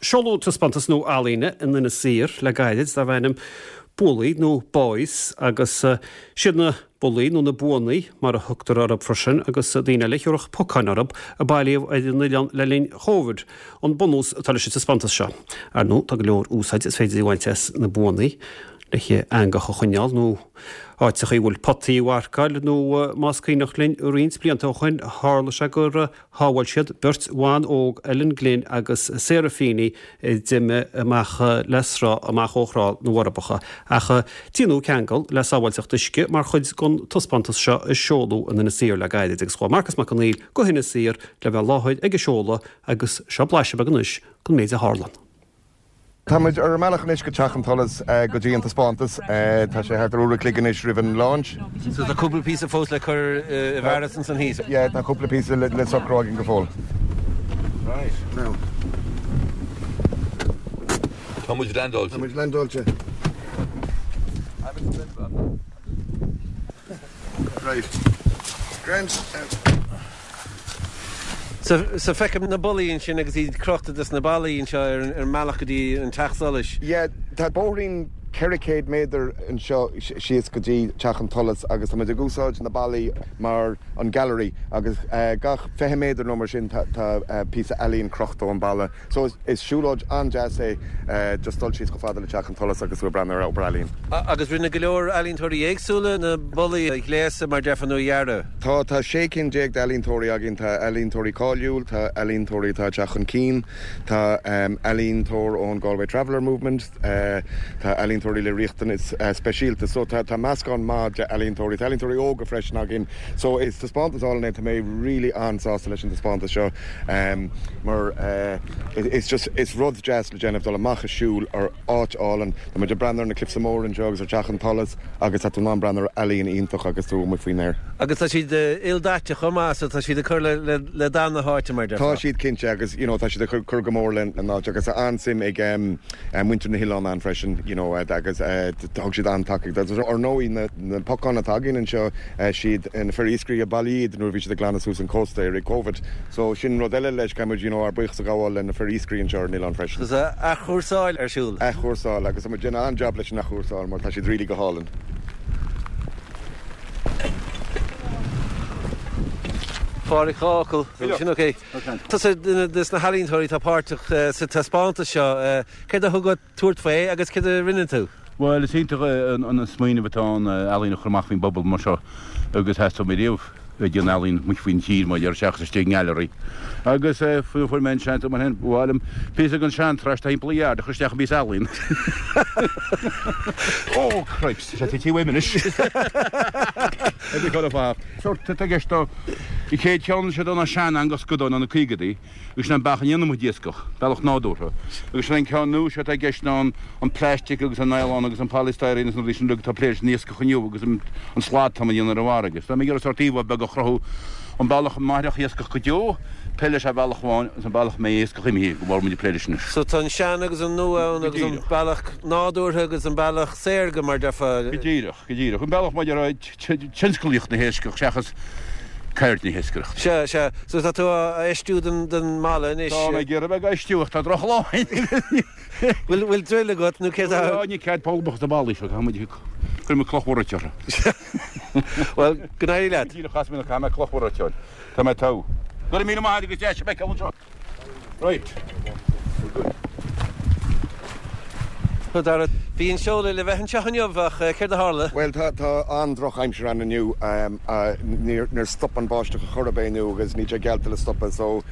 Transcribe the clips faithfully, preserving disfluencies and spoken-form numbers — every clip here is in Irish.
Seoladh taispeántas nua ealaíne in Inis Oírr le gairid darb ainm Bullaí nó Boys agus siad na bullaí nó na buannaí mar a thugtar orthu freisin agus daoine eile a thiúrfadh pocáin orthu a bailíodh ar an oileán le linn Covid an bunús atá leis an taispeántas seo. Ar ndóigh tá go leor úsáid is féidir a bhaint as na buannaí le heangach a choinneáil nó áiteacha a bhfuil potaí a mharcáil nó más cuimhneach linn roinnt blianta ó shin tharla sé gur shábháil siad beirt bhan óg Ellen Glynn agus Sarah Feeney a d'imigh amach le sruth amach ó Thrá na bhForbacha. Ach déanadh ceangal le sábháilteacht uisce mar chuid den taispeántas seo a seoladh in Inis Oírr le gairid agus chuaigh Marcas Mac Conghail go hInis Oírr le bheith i láthair ag an seoladh agus seo blaiseadh beag anois den méid a tharla. Tá muid ar an mbealach anois go Teach an tSolais go dtí an taispeántas. Tá sé thart ar uair a chloig anois roimh an launch. So tá cúpla píosa fós le cur i bhfearas ansan thíos? Yeah, tá cúpla píosa le, le socrú againn go fóill. Right. Now. Tá muid landáilte. Tá muid landáilte. Right. Grand. So, so feicim na bullaí ansin agus iad crochta dos na ballaí anseo ar an mbealach go dtí an teach solais. Yeah, tá bóithrín ceithre chéad méadar anseo síos go dtí Teach an tSolais agus tá muid ag úsáid na ballaí mar an gallery agus gach fiche méadar nó mar sin tá píosa ealaíon crochta ón balla. So is siúlóid an-deas é just dul síos chomh fada le Teach an tSolais agus tú ag breathnú ar obair ealaíon. Agus rinne go leor ealaíontóirí éagsúla na bullaí a ghléasadh mar déarfá nó a dhearadh. Tá, tá sé cinn déag d'ealaíontóirí againn, tá ealaíontóirí cáiliúil, tá ealaíontóirí atá ag teacht chun cinn, tá ealaíontóir ón Galway Traveller Movement, tá ealaíontóirí le riachtanais speisialta, so tá tá meascán maith d'ealaíontóirí, tá ealaíontóirí óga freisin againn, so is taispeántas álainn é, tá mé really an-sásta leis an taispeántas seo mar is just is rud deas le déanamh dul amach ag siúl ar áit álainn. Tá muid ag breathnú ar na cliffs móra anseo agus ar Teach an tSolais agus tá tú in ann breathnú ar ealaíon iontach agus tú amuigh faoin aer. Agus tá siad ildaite chomh maith so tá siad ag cur le le dath na háite mar déarfá. Tá siad cinnte agus you know tá siad ag cur go mór leis an áit agus tá an-suim ag muintir na hoileán ann freisin you know agus thug siad an-tacaíocht. Agus ar ndóigh na na pocáin atá againn anseo siad na fir iascairí a bhailíodh iad nuair a bhí siad ag glanadh suas an cósta i rith Covid. So sin rud eile leis, caithfidh muid you know ár buíochas a ghabháil le na fir iascairí anseo ar an oileán freisin. So tá athchúrsáil ar siúl. Athchúrsáil agus tá muid ag déanamh an-jab leis an athchúrsáil mar tá siad really go hálainn. Pádraig, dhá fhocal. Sin ok. Tusa duine de na healaíontóirí atá páirteach sa taispeántas seo. Céard a thug ort tabhairt faoi agus céard a rinne tú? Bhuel, is iontach an smaoineamh atá ann ealaín a chur amach faoin bpobal mar seo agus theastaigh uaim riamh ag déanamh ealaín amuigh faoin tír mar a déarfá seachas istigh i ngailearaí. Agus fuair mé an seans mar sin, ba mhaith liom píosa den sean-trash atá thimpeall an yard a chur isteach i bpíosa ealaíon. Oh cripes, tá sé tite uaim anois. Sórt atá i gceist an chéad cheann seo ná sean-eangach scadáin ó na caogaidí. Agus sin an bealach a ndéanann muid iascach, bealach nádúrtha. Agus sin an ceann nua seo atá i gceist ná an plastic agus an nylon agus an polystyrene agus na rudaí sin uilig atá ag plé leis an iascach inniu agus an slad atá á dhéanamh ar an bhfarraige. So tá mé ag iarraidh sórt íomhá beag a chruthú, an bealach a mairfeadh iascach go deo, plé leis ar bhealach amháin agus an bealach a mbeidh iascach imithe go bhfuil muid ag plé leis anois. So tá an sean agus an nua ann agus an bealach nádúrtha agus an bealach saorga mar déarfá. Go díreach, go díreach. An bealach maidir le tionsclaíocht na hiascach seachas ceird na hiascaireachta. Sea, sea. So tá tú á fheistiú don don mballa anois. Tá mé ag iarraidh bheith á fheistiú ach tá drochlá ann. Bhfuil bhfuil druil agat nó céard a. Ní cead poll amach sna ballaí seo, caithfidh muid cuirfidh muid cloch mhór orthu. Bhuel, go n-éirí leat. Díreach as mé, caithfidh mé cloch mhór a fháil. Tá mé togha. Go raibh míle maith agat agus deis a bheith anseo. Right. We're good. So Dara, bhí an seoladh le bheith anseo inniu ach céard a tharla? Bhuel, tá tá an-drochaimsir ann inniu. Níor níor stop an báisteach ar chor ar bith inniu agus níl sé geallta le stopadh so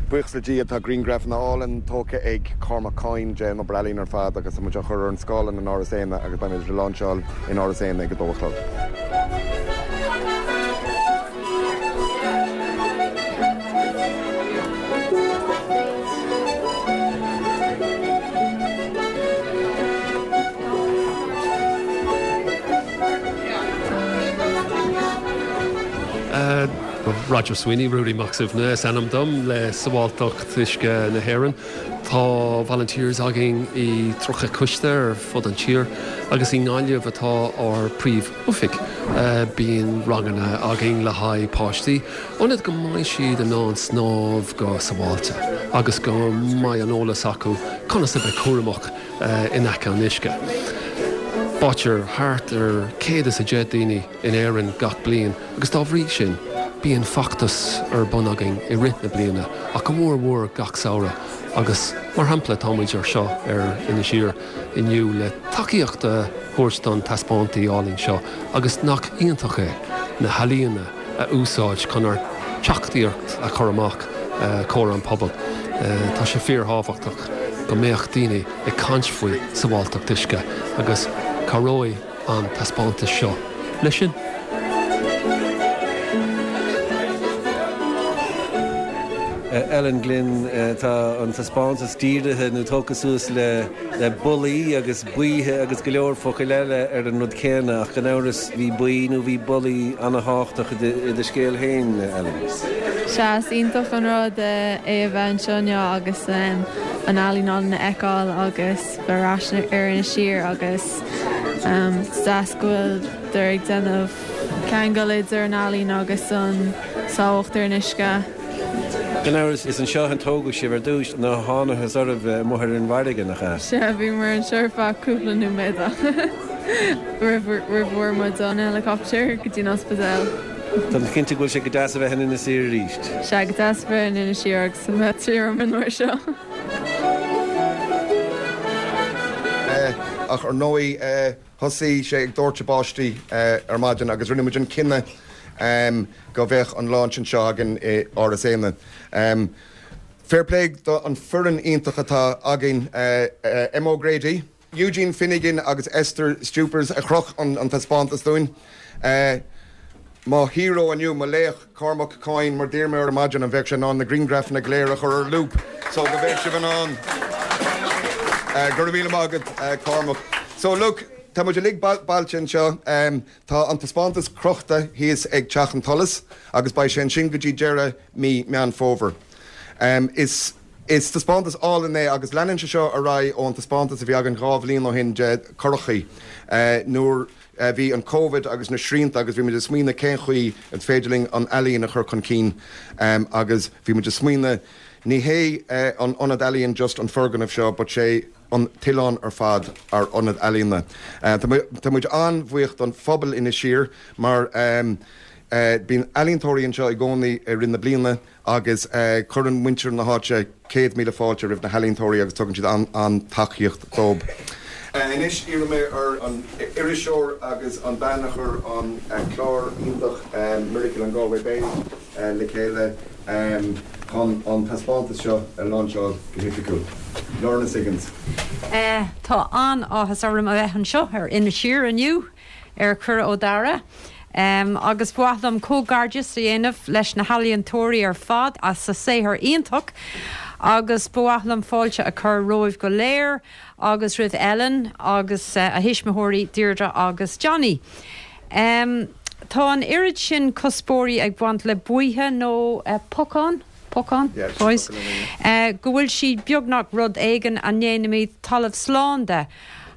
buíochas le Dia tá grianghrafanna álainn tógtha ag Cormac Coyne den obair ealaíon ar fad agus tá muid á chur ar an scáileán in Áras Éanna agus beimid ag lainseáil in Áras Éanna ag a dó a chlog. Roger Sweeney, Ruairí Mac Suibhne is ainm dom le Sábháilteacht Uisce na hÉireann. Tá volunteers againn i tríocha coiste ar fud an tír agus i nGaillimh atá ár príomh-oifig. Bíonn ranganna againn le haghaidh páistí, ionas go mbeidh siad in ann snámh go sábháilte agus go mbeidh an eolas acu conas a bheith cúramach in aice an uisce. Báitear thart ar céad is a deich daoine in Éirinn gach bliain agus dá bhrí sin bíonn feachtas ar bun againn i rith na bliana ach go mór mhór gach samhradh agus mar shampla táimid anseo ar Inis Oírr inniu le tacaíocht a thabhairt don taispeántas álainn seo agus nach iontach é na healaíona a úsáid chun ár dteachtaireacht a chur amach chomhair an pobal. Tá sé fíorthábhachtach go mbeadh daoine ag caint faoi sábháilteacht uisce agus cabhróidh an taispeántas seo leis sin. Ellen Glynn, tá an taispeántas dírithe nó tógtha suas le le bullaí agus baoithe agus go leor focail eile ar an rud céanna ach gan amhras bhí baoi nó bhí bullaí an-tábhachtach i do scéal féin, Ellen. Sea, is iontach an rud é a bheith anseo inniu agus an ealaín álainn a fheiceáil agus bheith ar ais ar Inis Oírr agus is deas go bhfuil ag déanamh ceangal idir an ealaín agus an sábháilteacht ar an uisce. Gan amhras is anseo a tógadh sibh ar dtús nuair a thángthas oraibh amuigh ar an bhfarraige nach ea? Sea, bhíomar anseo ar feadh cúpla nóiméad roimh roimh bhfuair muid an helicopter go dtí an ospidéal. Tá mé cinnte go bhfuil sé go deas a bheith in Inis Oírr arís. Sea, go deas a bheith in Inis Oírr agus a bheith tirim an uair seo. Ach ar ndóigh thosaigh sé ag doirteadh báistí ar maidin agus rinne muid an cinneadh go bheadh an launch anseo againn i Áras Éanna. Fair play do an foireann iontach atá againn Emma O'Grady, Eugene Finnegan agus Esther Stupers a chroch an, an taispeántas dúinn. Mo hero inniu, mo laoch Cormac Coyne mar d'iarr mé ar maidin an bheadh sé in ann na grianghrafanna go léir a chur ar loop so go bheadh sibh in ann. Go raibh míle maith agat Cormac. So look, tá muid uilig bailithe anseo, tá an taispeántas crochta thíos ag Teach an tSolais agus beidh sé ansin go dtí deireadh mí Meán Fómhair. Is is taispeántas álainn é agus leanann sé seo ar aghaidh ón taispeántas a bhí againn dhá bhliain ó shin de curachaí nuair a bhí an Covid agus na srianta agus bhí muid ag smaoineamh cén chaoi an féidir linn an ealaín a chur chun cinn agus bhí muid ag smaoineamh ní hé an ionad ealaíon just an foirgneamh seo but sé an t-oileán ar fad ár ionad ealaíona. Tá muid an-bhuíoch don phobal Inis Oírr mar bíonn ealaíontóirí anseo i gcónaí i rith na bliana agus cuireann muintir na háite céad míle fáilte roimh na healaíontóirí agus tugann siad an-tacaíocht dóibh. Anois iarraidh mé ar an iriseoir agus an bean a chuir an clár iontach Miracle on Galway Bay le chéile chun an taispeántas seo a lainseáil go hoifigiúil. Lorna Siggins. Tá an-áthas orm a bheith anseo ar Inis Oírr inniu ar cuireadh ó Dara. Um, agus ba mhaith liom comhghairdeas a dhéanamh leis na healaíontóirí ar fad as a saothar iontach, agus ba mhaith liom fáilte a chur romhaibh go léir agus roimh Ellen agus uh, a thuismitheoirí Deirdre agus Johnny. Um, tá an oiread sin cuspóirí ag baint le baoithe nó uh, pocán? Pocán? Boys. Uh, go bhfuil siad beagnach rud éigin a ndéanaimid talamh slán de.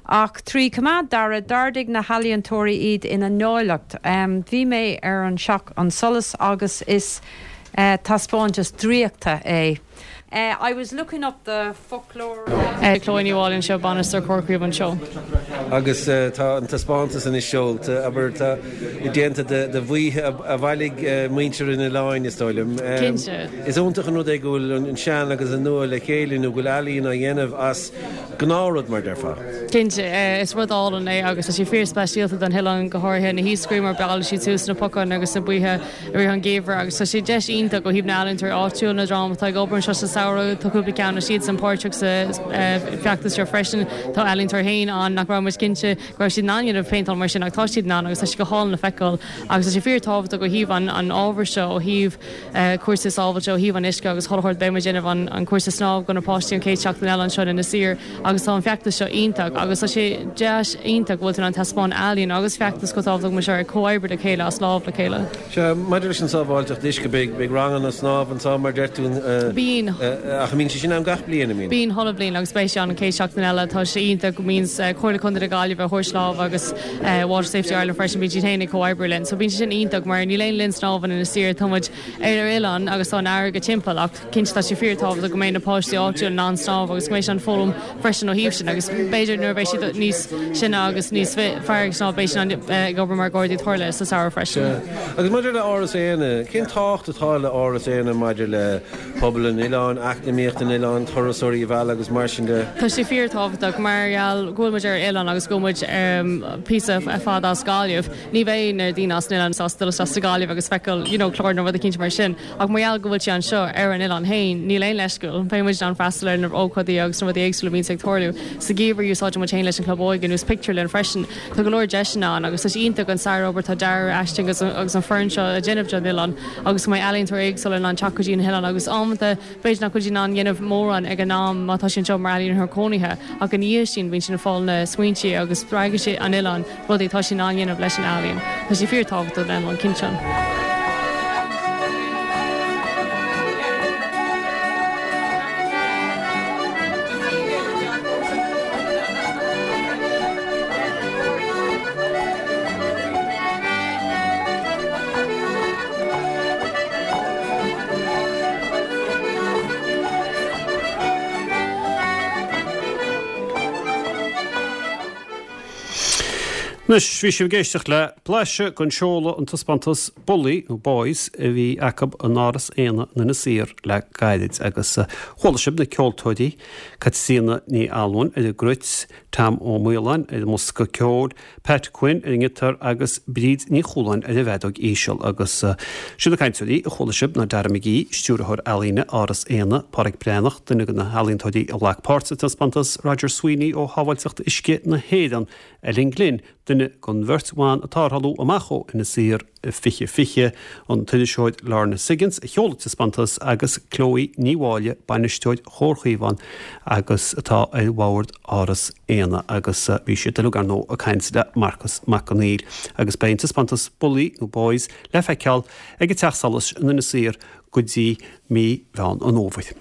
Ach trí coimeád dara d'ardaigh na healaíontóirí iad ina n-áilleacht. Um, bhí mé ar an Teach an Solais agus is uh, taispeántas draíochta é. Uh, I was looking up the folklore. Chloe Ní Mháilín seo bainisteoir Chorca anseo. Agus tá an taispeántas anois seolta abair tá déanta de bhaoithe a bhailigh muintir an oileáin is dóigh liom. Cinnte. Is iontach an rud é go bhfuil an sean agus an nua le chéile nó go bhfuil ealaín á dhéanamh as gnáthrud mar déarfá. Cinnte is rud álainn é agus tá sé fíorspeisialta don oileán go háirithe na hiascairí mar bhailíonn siad suas na pocáin agus na baoithe i rith an gheimhridh agus tá sé deis iontach ó thaobh na n-ealaíontóirí áitiúil na dream atá ag obair anseo sa samhradh tá cúpla ceann siad san páirteach sa feachtas seo freisin tá ealaíontóir féin ann nach raibh muid cinnte go raibh siad in ann déanamh péinteáil mar sin ach tá siad in ann agus tá sé go hálainn le feiceáil agus tá sé fíorthábhachtach ó thaobh an an ábhar seo ó thaobh cúrsa sábháilte ó thaobh an uisce agus chuile shórt beidh muid déanamh an an cúrsa snámh do na páistí an chéad seachtain eile anseo in Inis Oírr agus tá an feachtas seo iontach agus tá sé deis iontach go bhfuil an taispeán ealaíon agus feachtas go tábhachtach mar seo ag comhoibriú le chéile as lámh le chéile. Sea maidir leis an sábháilteacht uisce beidh beidh ranganna snámh anseo mar deir tú Bíonn Ach mbíonn sé sin ann gach bliain, an mbíonn? Bíonn chuile bhliain agus beidh sé ann an chéad seachtain eile. Tá sé iontach go mbíonn Comhairle Contae na Gaillimhe ag thabhairt lámh agus Water Safety Ireland freisin, bíonn siad féin ag comhoibriú linn. So bíonn sé sin iontach mar níl aon linn snámha in Inis Oírr, tá muid ar ar oileán agus tá an fharraige timpeall ach cinnte tá sé fíorthábhachtach go mbeidh na páistí áitiúil in ann snámh agus go mbeidh siad in ann foghlaim freisin ó thaobh sin agus b'fhéidir nuair a bheidh siad níos sine agus níos fearr ag snámh beidh siad ag obair mar ghardaí tarlaithe sa samhradh freisin. Agus maidir le Áras Éanna, cén tábhacht atá le Áras Éanna maidir le pobal an oileáin, eacnamaíocht an oileáin, turasóirí a mhealladh agus mar sin de? Tá sé fíorthábhachtach mar gheall go bhfuil muid ar oileán agus go bhfuil muid píosa fada as Gaillimh. Ní bheidh na daoine as an oileán sásta dul isteach sa Ghaillimh agus feiceáil you know clár nó rud eicínt mar sin ach mar gheall go bhfuil sé anseo ar an oileán féin níl aon leithscéal. Beidh muid in ann freastal ar na ócáidí agus na rudaí éagsúla a bhíonns ag tarlú. Sa gheimhreadh úsáideann muid féin leis an Club Óige nó pictiúrlann freisin. Tá go leor deiseanna ann agus tá sé iontach an sárobair atá Dara Aisling agus agus an foireann seo a dhéanamh don oileán agus go mbeidh ealaíontóirí éagsúla in ann teacht go dtí an hoileán agus amanta b'fhéidir nach bhfuil siad in ann dhéanamh mórán ag an am má tá siad anseo mar ealaíontóir cónaithe ach ina dhiaidh sin bíonn siad ag fáil na smaointe agus spreagann sé an oileán rudaí atá siad in ann dhéanamh leis an ealaíon. Tá sé fíorthábhachtach don oileán cinnte. Anois, bhí sibh ag éisteacht le blaiseadh den seoladh an taispeántas Bullaí nó Boys a bhí acu in Áras Éanna in Inis Oírr le gairid agus chuala sibh na ceoltóirí, Caitríona Ní Almhain ar an gcruit, Tom Ó Maoláin ar an mbosca ceoil, Pat Quinn ar an ngiotár agus Bríd Ní Chualáin ar an bhfeadóg íseal agus siad na cainteoirí a chuala sibh ná Dara McGee, Stiúrthóir Ealaíne Áras Éanna, Pádraic Breathnach, duine de na healaíontóirí a ghlac páirt sa taispeántas, Roger Sweeney ó Shábháilteacht Uisce na hÉireann, Ellen Glynn, duine den bheirt bhan atá ag tarlú amach ó Inis Oírr fiche fiche, an t-iriseoir Lorna Siggins a sheol an taispeántas agus Chloe Ní Mháille, bainisteoir Chór Chaomhán agus atá ar bhord Áras Éanna agus bhí siad uilig ar ndóigh ag caint le Marcas Mac Conghail agus beidh an taispeántas Bullaí nó Boys le feiceáil ag an Teach Solais in Inis Oírr go dtí mí Mheán an Fhómhair.